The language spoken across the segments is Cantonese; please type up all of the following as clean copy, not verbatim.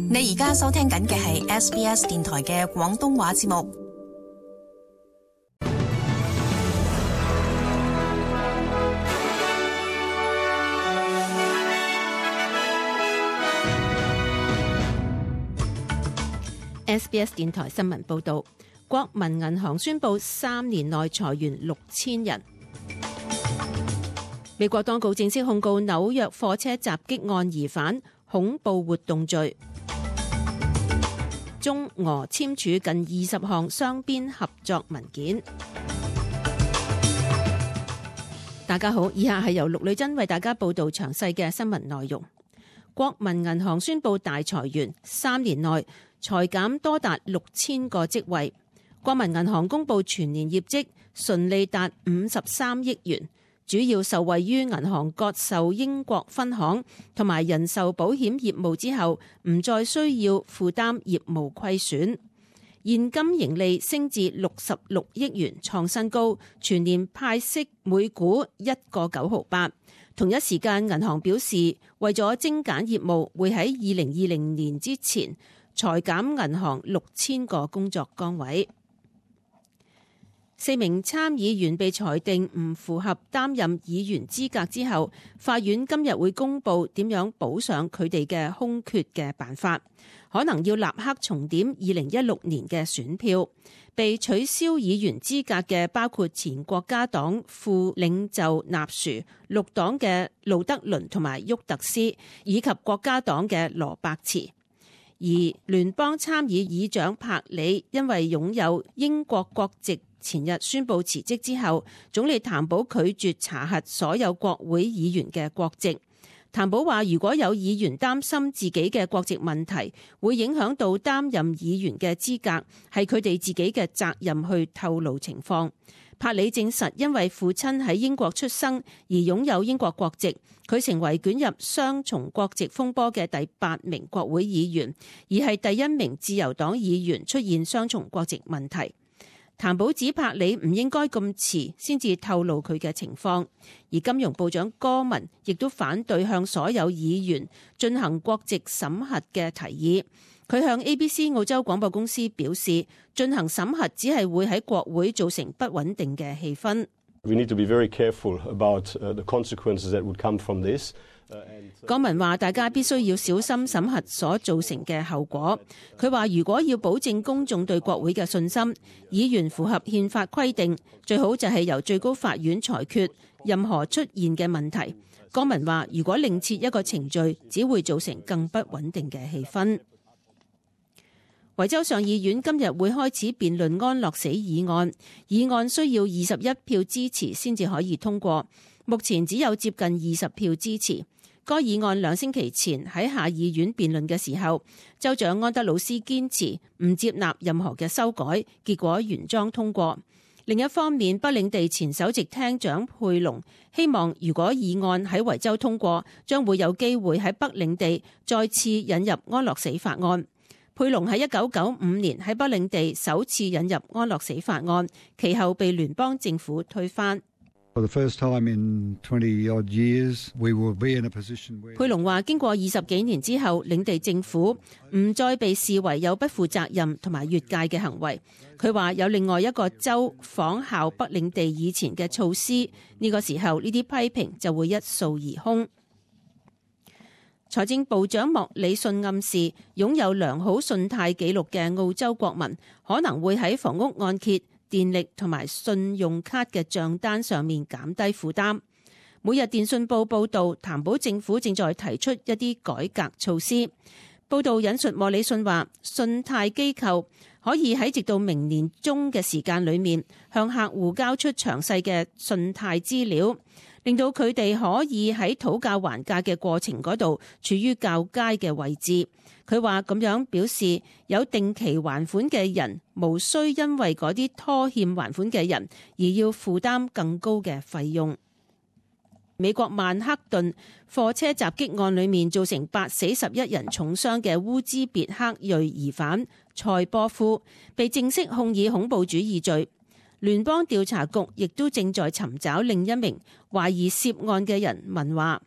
你而家收聽緊嘅係 SBS 電台嘅廣東話節目。SBS 電台新聞報導，國民銀行宣布3年內裁員6000人。美國當局正式控告紐約貨車襲擊案疑犯恐怖活動罪。中俄簽署近20項雙邊合作文件。大家好，以下係由陸女珍為大家報道詳細嘅新聞內容。國民銀行宣布大裁員，3年內裁減多達6000個職位。國民銀行公布全年業績純利達53億元，主要受惠於銀行割售英國分行同埋人壽保險業務之後，唔再需要負擔業務虧損。現金盈利升至66億元，創新高，全年派息每股1個9毫8。同一時間，銀行表示為咗精簡業務，會喺2020年之前裁減銀行6000個工作崗位。4名參議員被裁定唔符合擔任議員資格之後，法院今日會公布點樣補上佢哋嘅空缺嘅辦法，可能要立刻重點2016年嘅選票。被取消議員資格嘅包括前國家黨副領袖納殊、綠黨嘅路德倫同埋沃特斯，以及國家黨嘅羅伯茨。而聯邦參議議長柏里因為擁有英國國籍，前日宣布辭職之後，總理譚寶拒絕查核所有國會議員嘅國籍。譚寶話，如果有議員擔心自己嘅國籍問題會影響到擔任議員嘅資格，係佢哋自己嘅責任去透露情況。柏里證實，因為父親喺英國出生而擁有英國國籍，佢成為捲入雙重國籍風波嘅第8名國會議員，而係第1名自由黨議員出現雙重國籍問題。譚寶指柏里唔應該咁遲先至透露佢嘅情況，而金融部長戈文亦都反對向所有議員進行國籍審核嘅提議。佢向 ABC 澳洲廣播公司表示，進行審核只係會喺國會造成不穩定嘅氣氛。We need to be very careful about the consequences that would come from this. 戈文話：大家必須要小心審核所造成嘅後果。佢話：如果要保證公眾對國會嘅信心，議員符合憲法規定，最好就係由最高法院裁決任何出現嘅問題。戈文話：如果另設一個程序，只會造成更不穩定嘅氣氛。維州上議院今日會開始辯論安樂死議案，議案需要21票支持先至可以通過，目前只有接近20票支持。該議案2星期前喺下議院辯論嘅時候，州長安德魯斯堅持唔接納任何嘅修改，結果原裝通過。另一方面，北領地前首席廳長佩龍希望，如果議案喺維州通過，將會有機會喺北領地再次引入安樂死法案。佩龍喺1995年喺北領地首次引入安樂死法案，其後被聯邦政府推翻。佩龍話：經過20幾年之後，領地政府唔再被視為有不負責任同埋越界嘅行為。佢話有另外一個州仿效北領地以前嘅措施，呢個時候呢啲批評就會一掃而空。財政部長莫里遜暗示，擁有良好信貸記錄嘅澳洲國民可能會喺房屋按揭、電力同埋信用卡嘅賬單上面減低負擔。每日電訊報報道，譚寶政府正在提出一啲改革措施。報道引述莫里遜話，信貸機構可以喺直到明年中嘅時間裏面，向客戶交出詳細嘅信貸資料，令到佢哋可以喺討價還價嘅過程嗰度處於較佳嘅位置。佢話咁樣表示，有定期還款嘅人無需因為嗰啲拖欠還款嘅人而要負擔更高嘅費用。美國曼克頓貨車襲擊案裏面造成8死11人重傷嘅烏茲別克裔疑犯塞波夫被正式控以恐怖主義罪。聯邦調查局亦都正在尋找另一名懷疑涉案嘅人問話。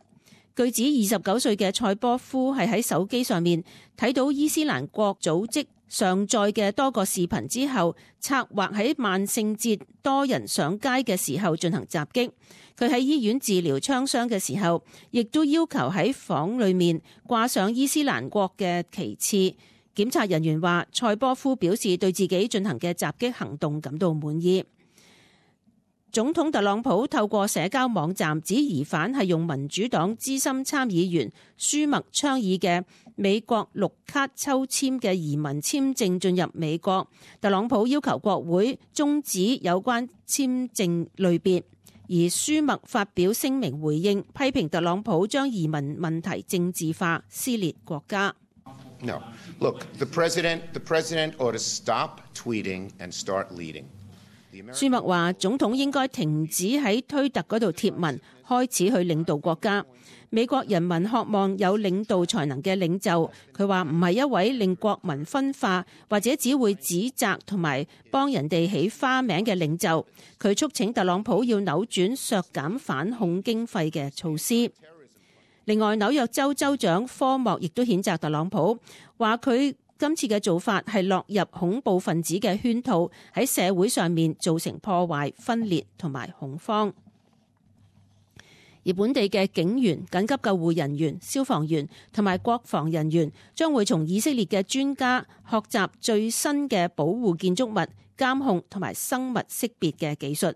據指29歲嘅塞波夫係喺手機上面睇到伊斯蘭國組織上載嘅多個視頻之後，策劃喺萬聖節多人上街嘅時候進行襲擊。佢喺醫院治療槍傷嘅時候，亦都要求喺房裏面掛上伊斯蘭國嘅旗幟。檢察人員話，塞波夫表示對自己進行嘅襲擊行動感到滿意。總統特朗普透過社交網站指疑犯係用民主黨資深參議員舒默倡議嘅美國綠卡抽籤嘅移民簽證進入美國。特朗普要求國會終止有關簽證類別，而舒默發表聲明回應，批評特朗普將移民問題政治化，撕裂國家。No. Look, the president ought to stop tweeting and start leading. 舒默話：總統應該停止喺推特嗰度貼文，開始去領導國家。美國人民渴望有領導才能嘅領袖。佢話唔係一位令國民分化或者只會指責同埋幫人哋起花名嘅領袖。佢促請特朗普要扭轉削減反恐經費嘅措施。另外，紐約州州長科莫亦都譴責特朗普，話佢今次嘅做法係落入恐怖分子嘅圈套，喺社會上面造成破壞、分裂同埋恐慌。而本地嘅警員、緊急救護人員、消防員同埋國防人員將會從以色列嘅專家學習最新嘅保護建築物、監控同埋生物識別嘅技術。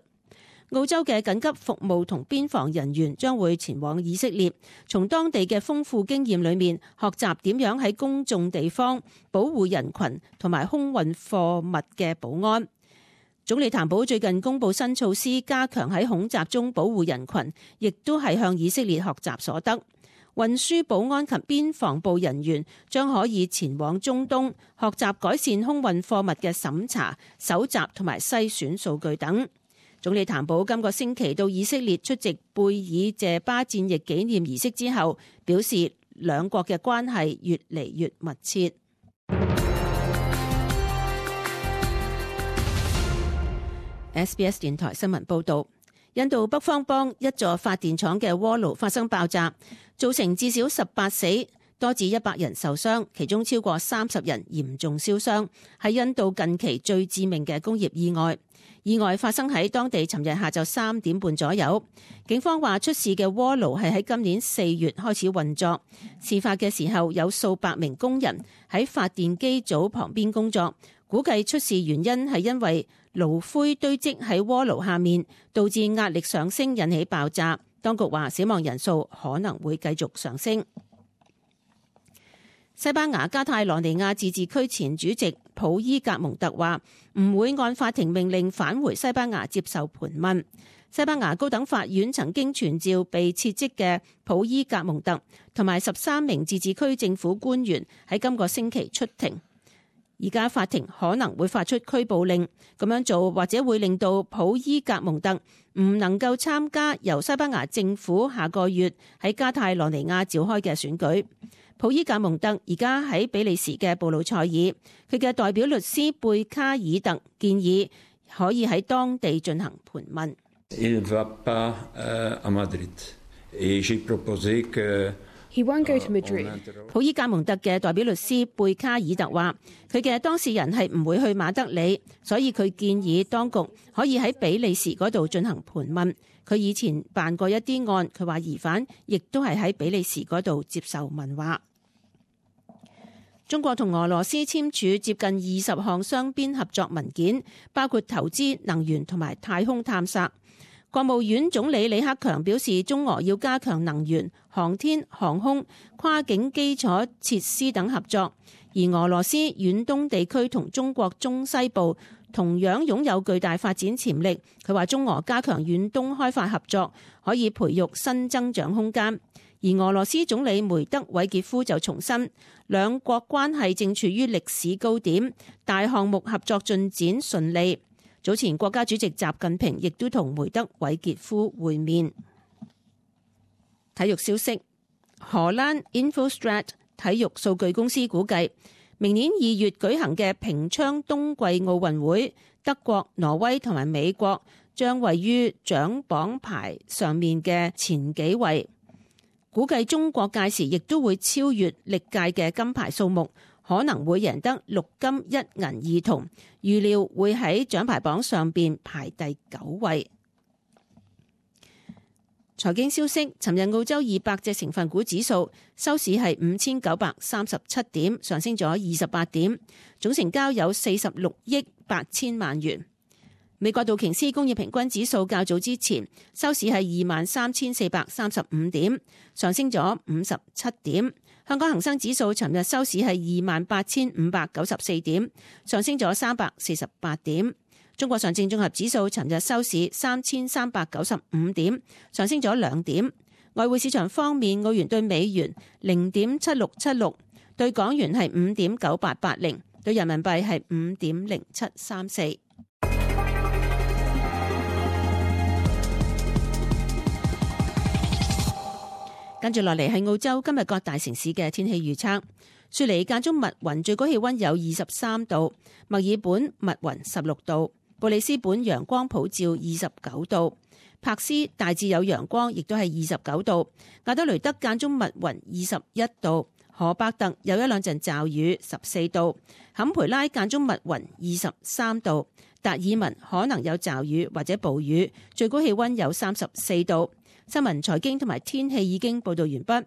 澳洲嘅緊急服務同邊防人員將會前往以色列，從當地嘅豐富經驗裏面學習點樣喺公眾地方保護人群同埋空運貨物嘅保安。總理譚寶最近公布新措施，加強喺恐襲中保護人群，亦都係向以色列學習所得。運輸保安及邊防部人員將可以前往中東，學習改善空運貨物嘅審查、搜集同埋篩選數據等。總理譚寶今個星期到以色列出席貝爾謝巴戰役紀念儀式之後，表示兩國嘅關係越嚟越密切。SBS 電台新聞報導，印度北方邦一座發電廠嘅鍋爐發生爆炸，造成至少18死，多至100人受傷，其中超過30人嚴重燒傷，係印度近期最致命嘅工業意外。意外發生喺當地尋日下晝3點半左右。警方話出事嘅鍋爐係喺今年4月開始運作。事發嘅時候有數百名工人喺發電機組旁邊工作，估計出事原因係因為爐灰堆積喺鍋爐下面，導致壓力上升引起爆炸。當局話死亡人數可能會繼續上升。西班牙加泰羅尼亞自治區前主席普伊格蒙特話唔會按法庭命令返回西班牙接受盤問。西班牙高等法院曾經傳召被撤職嘅普伊格蒙特同埋13名自治區政府官員喺今個星期出庭。而家法庭可能會發出拘捕令，咁樣做或者會令到普伊格蒙特唔能夠參加由西班牙政府下個月喺加泰羅尼亞召開嘅選舉。普伊格蒙特而家喺比利時嘅布魯塞爾，佢嘅代表律師貝卡爾特建議可以喺當地進行盤問。He won't go to Madrid. 普伊格蒙特嘅代表律師貝卡爾特話，佢嘅當事人係唔會去馬德里，所以佢建議當局可以喺比利時嗰度進行盤問。佢以前辦過一啲案，佢話疑犯亦都係喺比利時嗰度接受問話。中國同俄羅斯簽署接近20項雙邊合作文件，包括投資、能源同埋太空探索。國務院總理李克強表示，中俄要加強能源、航天、航空、跨境基礎設施等合作，而俄羅斯遠東地區同中國中西部同樣擁有巨大發展潛力。佢話中俄加強遠東開發合作，可以培育新增長空間。而俄羅斯總理梅德韋傑夫就重申，兩國關係正處於歷史高點，大項目合作進展順利。早前國家主席習近平亦都同梅德韋傑夫會面。體育消息，荷蘭 Infostrat 體育數據公司估計，明年2月舉行嘅平昌冬季奧運會，德國、挪威同埋美國將位於獎榜排上面嘅前幾位。估計中國屆時亦都會超越歷屆嘅金牌數目，可能會贏得6金1銀2銅，預料會喺獎牌榜上邊排第9位。財經消息，尋日澳洲200隻成分股指數收市係5937點，上升咗28點，總成交有46億8千萬元。美國道瓊斯工業平均指數較早之前收市係23,435點，上升咗57點。香港恒生指數尋日收市係28,594點，上升咗348點。中國上證綜合指數尋日收市3,395點，上升咗2點。外匯市場方面，澳元對美元0.7676，對港元係5.9880，對人民幣係5.0734。跟住落嚟係澳洲今日各大城市嘅天氣預測。雪梨間中密雲，最高氣溫有23度；墨爾本密雲16度；布里斯本陽光普照29度；柏斯大致有陽光，亦都係29度；亞德雷德間中密雲21度；荷伯特有1-2陣驟雨14度；坎培拉間中密雲23度；達爾文可能有驟雨或者暴雨，最高氣溫有34度。新聞、財經同埋天氣已經報道完畢。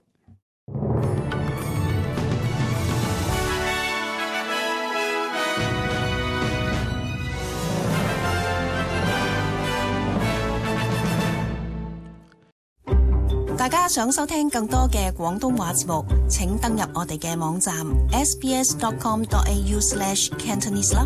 大家想收聽更多嘅廣東話節目，請登入我哋嘅網站 sbs.com.au/cantonese 啦。